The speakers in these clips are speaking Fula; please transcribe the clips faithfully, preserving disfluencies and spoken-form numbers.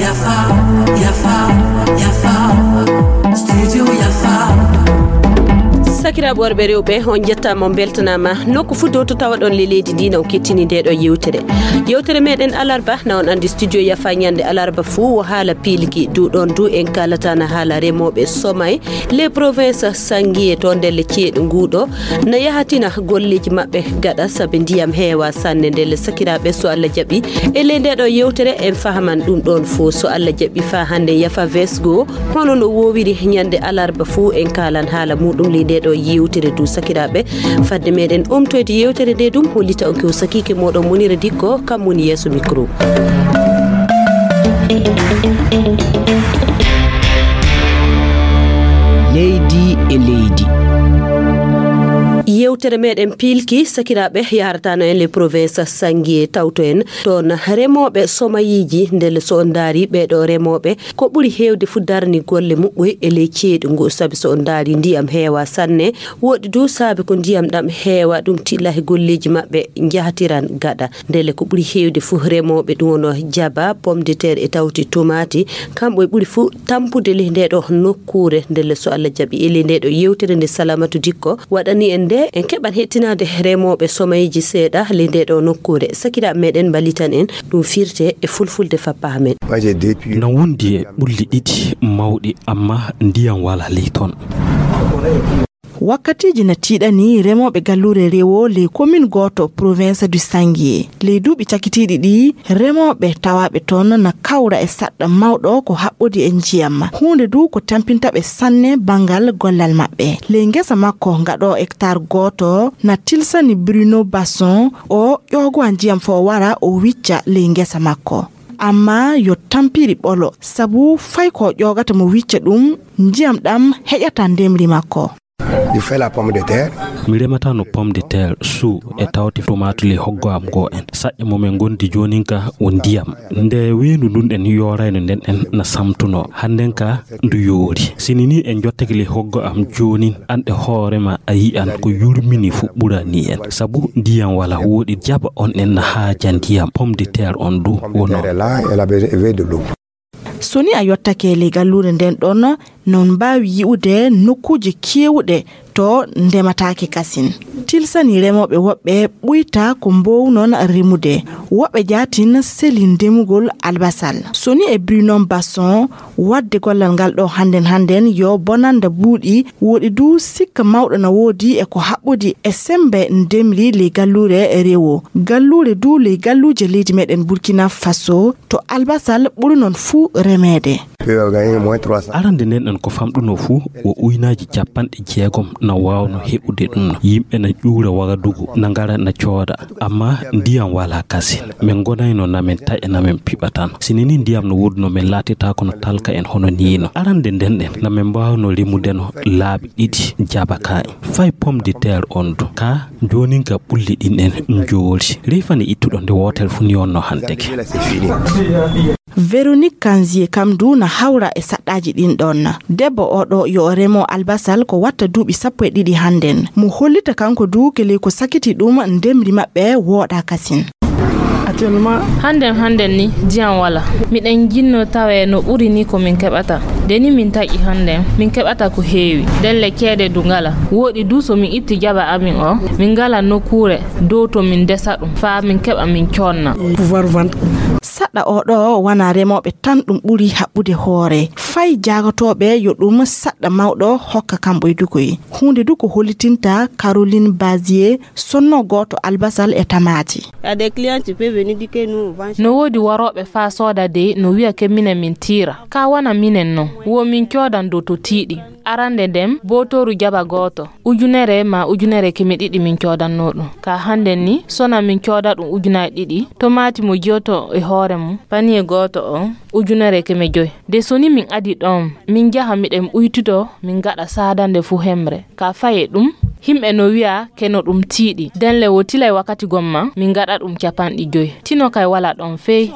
Yafa, yafa, yafa. Studio yafa. Sakiraaɓe worɓe rewɓe, on njettaama, on mbeltanaama. Nokku fuu dow to tawaɗon le leydi ndi, na on kettini nde ɗo yewtere. Yewtere meɗen alarba, na on anndi studio yafa ñande alarba fuu wo haala piilki. Du ɗon du en kaalata na haala remooɓe somay. Les provinces sangiye to ndelle ceeɗu nguuɗo na yahatina golleeji maɓɓe gaɗa sabi ndiyam heewa sanne. Ndelle sakiraaɓe, so Allah jaɓi, e ley nde ɗo yewtere en fahaman ɗum ɗon fof. So Allah jaɓi, faa hannde yafa vesgo, hono no woowiri ñande alarba fuu, en kaalan haala muɗum ley nde ɗo yewtere du sakiraaɓe. Fadde meɗen omtoyde yewtere nde ɗum, hollita on ko sakiike moɗon Munira Dikko, kam woni yeeso micro. Leydi e leydi. Yewtere meɗen piilki, sakiraaɓe, yaharatano en le province Sangiye, tawto en toon remooɓe somayiiji. Ndelle so on ndaari ɓee ɗo remooɓe, ko ɓuri heewde fuu darni golle muɓɓoy e ley ceeɗu ngu, sabi so on ndaari ndiyam heewa sanne, woɗi du saabe ko ndiyam ɗam heewa, ɗum tilla he golleeji maɓɓe njahatiran gaɗa. Ndelle ko ɓuri heewde fuu remooɓe ɗum wono jaba, pomme de terre e tawti tomaati, kamɓe ɓuri fuu tampude ley nde ɗo nokkuure. Ndelle so Allah jaɓi e ley nde ɗo yewtere nde Salamatu Dikko waɗani en nde, en keɓan hettinaade remooɓe somayiiji seeɗa ley nde ɗo nokkuure. Sakiraaɓe meɗen mballitan en ɗum firte e fulfulde fappa amen. Na wondi e ɓulli ɗiɗi mawɗi, amma ndiyam wala ley toon. Wakkatiiji na tiiɗani remooɓe galluure Rewo ley commune gooto province du Sangiye. Ley duuɓi cakitiiɗi ɗi, remooɓe tawaaɓe toon na kawra e saɗɗa mawɗo ko haɓɓodi e njiyam. Huunde du ko tampinta ɓe sanne banngal gollal maɓɓe. Ley ngesa makko ngaɗo hectare gooto na tilsani Bruno Basson, o ƴoogowa njiyam fo wara o wicca ley ngesa makko. Amma yo tampiri ɓolo, sabu fay ko ƴoogata mo wicca ɗum, njiyam ɗam heƴata ndemri makko. Mi rematano pomme de terre, suu e tawte tomaati ley hoggo am goo en. Saƴƴe mo min ngondi joonin ka o ndiyam. Nde weendu ndun ɗen yoorayno nden ɗen na samtuno. Hannden ka ndu yoori. Sini ni en jottake ley hoggo am joonin, an e hoore ma a yi'an ko yurmini fu ɓurani en. Sabu ndiyam wala woɗi jaba on en na haaja ndiyam, pomme de terre on du wono. So ni a yottake ley galluure nden ɗon, non mbaawi yi'ude nokkuuje keewuɗe to ndemataake kasin. Tilsani remooɓe woɓɓe ɓuyta ko mboownon remude. Woɓɓe jaatin seli ndemugol albasal. So ni e Brunon Basson, waɗde gollal ngal ɗo hannden hannden yo bonannda buuɗi, woɗi du sikka mawɗo na woodi e ko haɓɓodi e semmbe ndemri ley galluure Rewo. Galluure du ley galluuje leydi meɗen Burkina Faso, to albasal ɓuri non fuu remeede. Arande nden en ko famɗuno fuu wo uynaaji capanɗe jeegom na waawno heɓude ɗum. Yimɓe na ƴuura Wagadugu, na ngara na cooda, amma ndiyam wala kasin. Min ngonayno na min taƴa na min piɓa tan. Sini ni ndiyam no woduno min laatitaako no talka en hono niino. Arande nden en na min mbaawno rimudeno laabi ɗiɗi jaba ka en. Fay pomme de terre on du. Ka joonin ka ɓulli ɗin en njoori. Rifani ittuɗo nde wootere fu ni on no hanteke. Véronique Kanzie kam du na hawra e saɗɗaaji ɗin ɗon. Debbo o ɗo yo o remo albasal ko watta duuɓi sappo e ɗiɗi hannden. Mo hollita kanko du kele ko sakiti ɗum ndemri maɓɓe wooɗa kasin. Hannden hannden ni ndiyam wala. Miɗen jinno tawe no ɓuri ni ko min keɓata. Nde ni min taƴi hannden, min keɓata ko heewi. Ndelle ceede du ngala. Wooɗi du so min itti jaba amin o, min ngala nokkuure dow to min ndesa ɗum, faa min keɓa min coonna. Saɗɗa o ɗo wana remooɓe tan ɗum ɓuri haɓɓude hoore. Fay jaagotooɓe yo ɗum saɗɗa mawɗo hokka kamɓe dukoy. Huunde du ko hollitinta Caroline Bazier, sonno gooto albasal e tamaati. No woodi warooɓe faa sooda dey no wi'a ke minen min tiira. Kaa wana minen non, wo min coodan dow to tiiɗi. Arande nden, bootooru jaba gooto, ujunere maa ujunere keme ɗiɗi min coodanno ɗum. Kaa hannden ni, sona min cooda ɗum ujunaaji ɗiɗi, tomaati mo jiyoto e hoore mum, paniye gooto o, ujunere keme joy. Nde soni min adi ɗon, min njaha miɗen ɓuytito, min ngaɗa saadande fuu hemre. Ka faye ɗum, himɓe no wi'a ke no ɗum tiiɗi. Nden le wo tilay wakkati gomma, min ngaɗa ɗum capanɗe joy. Tino kay wala ɗon fey.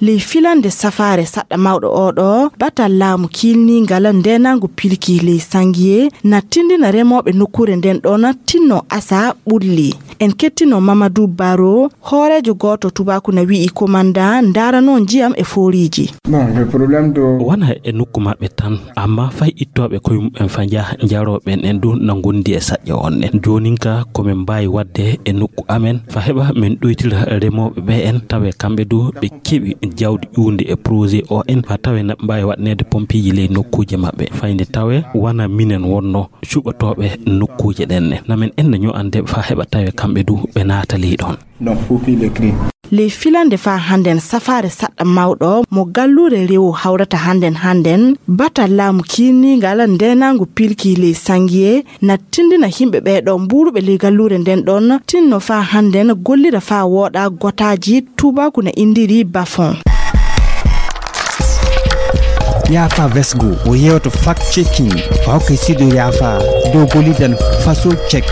Ley filande safaare saɗɗa mawɗo oo ɗoo, batal laamu kiilniingal ndeenaangu pilki ley Sangiye na tindina remooɓe nokkuure nden ɗon tinno asa ɓulli. En kettino Mamadou Baro, hooreejo gooto tubaaku na wi'i komandan ndaarano njiyam e fooriiji. Bon, le problème de Wona e nokku maɓɓe tan, amma fay ittooɓe koye mumen fa njaha njarooɓe en du na ngondi e saƴƴe on en. Joonin ka ko min mbaawi waɗde e nokku amen fa heɓa min ɗoytira remooɓe ɓe en, tawe kamɓe du ɓe keɓi jawdi ƴuundi e projet o en, fa tawe na mbaawi waɗneede pompiiji ley nokkuuje maɓɓe. Fayde tawe wona minen wonno cuɓotooɓe nokkuuje ɗen ne. Na min enna ño'ande fa heɓa tawe kamɓe du ɓe naata ley ɗon. Donc, pour qui le cri? Ley filande faa hannden safaare saɗɗa mawɗo mo galluure rewo hawrata hannden hannden, batal laamu kiirniingal ndeenaangu pilki ley Sangiye na tindina yimɓe ɓee ɗoo mbuuruɓe ley galluure nden ɗon tinno faa hannden gollira faa wooɗa gotaaji tubaaku na indiri bafon. Yaafa Vesgo o yewto fact checking fa hokkay sido yaafa dow golidan faso check.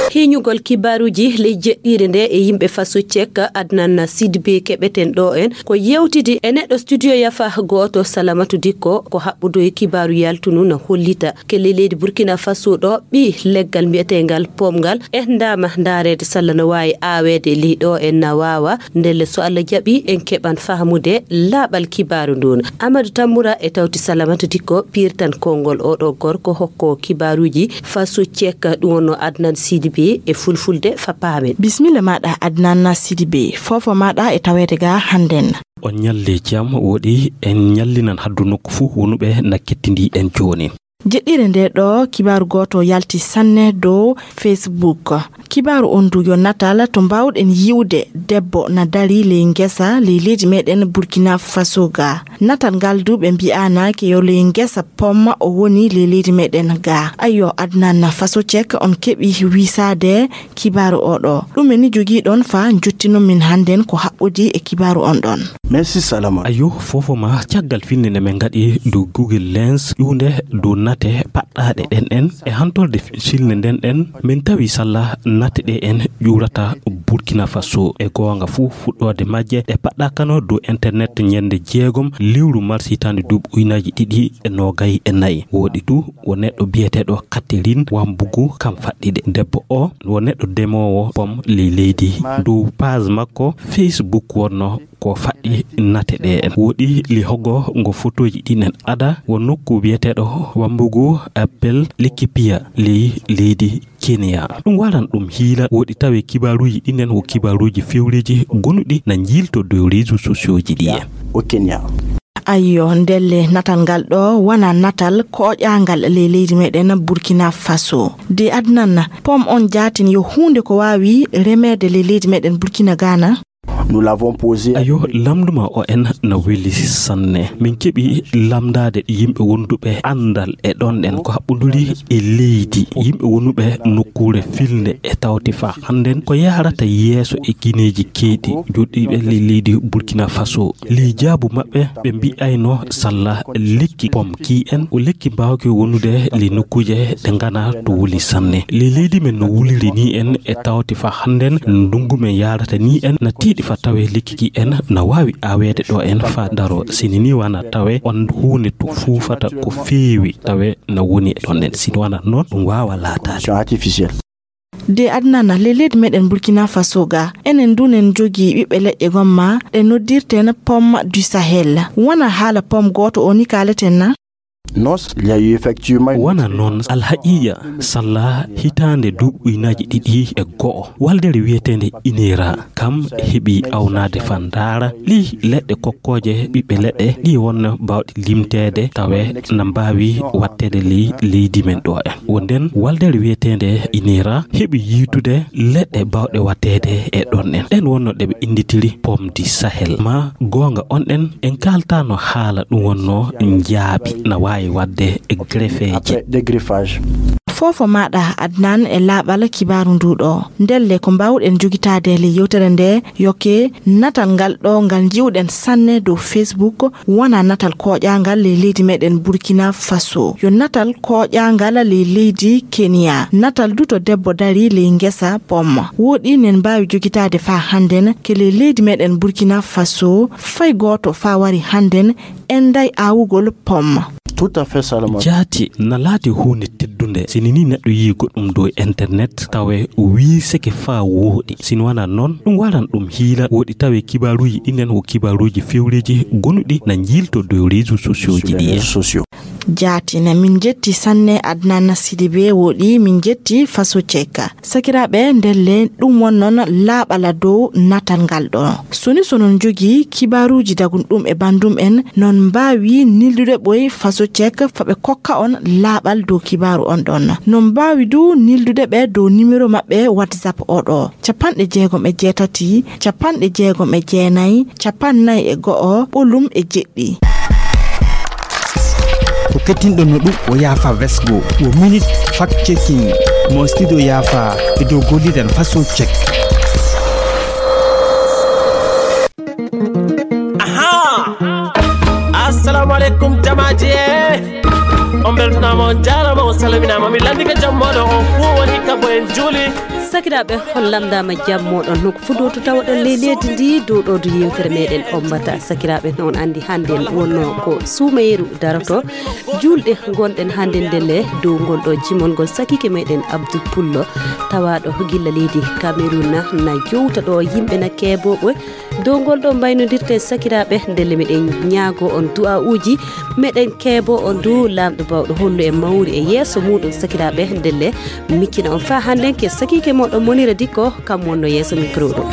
Hiiñugol kibaaruuji ley jeɗɗiire nde e yimɓe faso check. Adnan Sidibé keɓeten ɗo en ko yewtidi e neɗɗo studio yafa gooto Salamatu Dikko ko haɓɓudo e kibaaru yaltunu na hollita ke ley leydi Burkina Faso ɗo ɓi leggal mbiyeteengal pomngal e ndaama ndaareede salla no waawi aaweede ley ɗo en na waawa. Ndelle so Allah jaɓi en keɓan fahmude laaɓal kibaaru ndun. Amadou Tamboura e tawti Salamatu Dikko pirtan konngol oɗo gorko hokko kibaaruuji faso check ɗum wonno Adnan Sidibé e fulfulde fa paamen. Bismilla maɗa Adnan Sidibé, fofo maɗa e taweede ga hannden. On ñalli jam woɗi en ñallinan haddu nokku fuu wonuɓe na kettindi en jooni. Jeɗɗire nde ɗo kibaaru gooto yalti sanne dow Facebook. Kibaaru on du yo natal to mbaawɗen yi'ude debbo na dari ley ngesa ley leydi meɗen Burkina Faso ga. Natal ngal du ɓe mbi'anaake yo ley ngesa pom o woni ley leydi meɗen ga. Ayyo, Adnan Faso Check on keɓi wisaade kibaaru o ɗo. Ɗume ni jogiɗon fa jottino min hannden ko haɓɓodi e kibaaru on ɗon? Merci Salama. Ayo, fofo ma caggal filnde nde min ngaɗi dow Google Lens ƴuwnde dow nate paɗɗaaɗe ɗen en e hantorde filnde nden ɗen min tawi salla nate ɗe en ƴuurata Burkina Faso e goonga fuu fuɗɗoode majje ɗe paɗɗaakano dow internet ñande jeegom lewru mars hitaande duuɓi ujunaaji ɗiɗi e noogay e nayi. Woɗi du wo neɗɗo biyeteeɗo Catherine Wambugu kam faɗɗi ɗe. Debbo o wo neɗɗo demoowo pom ley leydi. Dow page makko Facebook wonno ko faɗɗi nate ɗe en. Woɗi li hogo ngo fotooji ɗin en ada wo nokku biyeteeɗo Wambugu Appel Likipia ley leydi Kenya. Ɗum waran ɗum hiila woɗi tawe kibaaruuji ɗin en wo kibaaruuji fewreeji gonuɗi na njiilto dow réseaux sociaux ji ɗi en. Au Kenya. Ayyo, ndelle natal ngal ɗo wona natal koƴangal ley leydi meɗen Burkina Faso. De Adnan, pom on jaatin yo huunde ko waawi remeede ley leydi meɗen Burkina Ghana? Nous l'avons posé. Ayo, lamnduma o en na weli sanne. Min keɓi lamndaade yimɓe wonduɓe anndal e ɗon ɗen ko haɓɓunduri e leydi. Yimɓe wonuɓe nokkuure filnde e tawti fa hannden ko yahrata yeeso e gineeji keeɗi joɗɗiiɓe ley leydi Burkina Faso. Ley jaabu maɓɓe ɓe mbi'ayno salla lekki pom ki en o lekki mbaawki wonude ley nokkuuje ɗe ngana to wuli sanne. Ley leydi men no wuliri ni en e tawti fa hannden ndungu men yaarata ni en na tiiɗi fa tawe lekki ki en na waawi aaweede ɗo en fa daro. Sini ni wana tawe on huunde to fuufata ko feewi tawe na woni e ɗon en. Sini wana noon ɗum waawa laataade. Artificiel. De Adnana, ley leydi meɗen Burkina Faso ga, enen du nen jogii ɓiɓɓe leƴƴe gomma ɗe noddirten pomme du Sahel. Wona haala pomme gooto o ni kaaleten na? Non, il y a eu effectivement. Wona noon, alhaqiiqa, salla hitaande duuɓi ujunaaji ɗiɗi e go'o, waldere wiyeteende INERA, kam heɓi awnaade fa ndaara ley leɗɗe kokkooje ɓiɓɓe leɗɗe ɗi wonno baawɗe limteede tawe na mbaawi waɗteede ley leydi men ɗo en. Wo nden waldere wiyeteende INERA heɓi yiitude leɗɗe baawɗe waɗteede e ɗon en. Ɗen wonno ɗe ɓe innditiri pomme du Sahel. Ma goonga on ɗen, en kaaltaano haala ɗum wonno njaabi na waawi waɗde e greffeeje. Après, des greffages. Fofo maɗa Adnan e laaɓal kibaaru ndu ɗo. Ndelle ko mbaawɗen jogitaade ley yewtere nde yoke natal ngal ɗo ngal nji'uɗen sanne dow Facebook wona natal koƴangal ley leydi meɗen Burkina Faso. Yo natal koƴangal ley leydi Kenya. Natal du to debbo dari ley ngesa pomme. Woɗi nen mbaawi jogitaade faa hannden ke ley leydi meɗen Burkina Faso fay gooto faa wari hannden enday aawugol pomme. Tout à fait, Salomon. Jaati na laati huunde teddunde. Si ni neɗɗo yii goɗɗum dow internet, tawe o wii seke faa wooɗi. Si ni wanaa noon, ɗum waran ɗum hiila. Wooɗi tawe kibaaruuji ɗinen ko kibaaruuji fewreeji gonuɗi na njiilto dow réseaux sociaux ji ɗi. Jaati na min jetti sanne Adnan Sidibe wooɗi min jetti Faso Ceka. Sakiraaɓe, ndelle ɗum won noon laaɓala dow natal ngal ɗo. Soni so non njogii kibaaruuji dagun ɗum e bandum en, non mbaawi nildude ɓoy Faso Cek fa ɓe kokka on laaɓal dow kibaaru on ɗon. Non mbaawi du nildude ɓe dow nimero maɓɓe WhatsApp o ɗo, capanɗe jeegom e jeetati, capanɗe jeegom e jeenayi, capannay e go'o, ɓolum e jeɗɗi. Ko kettinɗon no ɗum o yaafa vesgo, o minute fact checking mo studio yaafa e dow golliɗen façon check. Aha! Assalamu alaikum, jamaaji e. On beltanaama, on jaaraama, on salminaama. Mi lanndike jam mooɗon, on fuu woni ka bo en juuli. Sakiraaɓe, on lamndaama jam mooɗon. No ko fuɗɗoto tawoɗon ley leydi ndi, dow ɗo du yewtere meɗen ombata. Sakiraaɓe, no on anndi hannde wonno ko suumayeeru daroto. Juulɗe ngonɗen hannde ndelle dow ngol ɗo jimol ngol sakiike meɗen Abdou Pullo, tawaaɗo gilla leydi Cameroun na, na jowta ɗo yimɓe na keebooɓe. Dow ngol ɗo mbaynodirten sakiraaɓe, ndelle meɗen ñaago on du'aa'uuji, meɗen keebo on du Laamɗo baawɗo hollu en mawri e yeeso muuɗum sakiraaɓe, ndelle miccina on faa hannden ke sakiike mooɗon Monira Dikko, kam wonno yeeso mikro ɗo.